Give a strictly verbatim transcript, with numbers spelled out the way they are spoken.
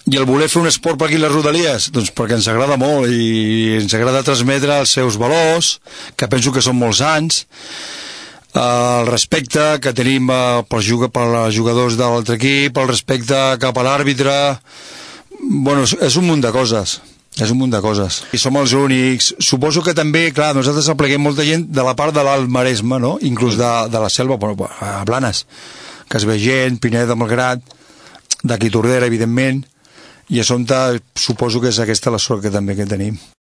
I el voler fer un esport per aquí a les Rodalies, doncs perquè ens agrada molt i ens agrada transmetre els seus valors, que penso que són molt sants, el respecte que tenim pels jugadors de l'altre equip, el respecte cap a l'àrbitre. Bueno, és un munt de coses, és un munt de coses. I som els únics. Suposo que també, clar, nosaltres apleguem molta gent de la part de l'Alt Maresme, no? Inclús de, de la selva, bueno, a Blanes, que es ve gent, Pineda de Malgrat, d'aquí Tordera, evidentment, i a Sonta suposo que és aquesta la sort que també que tenim.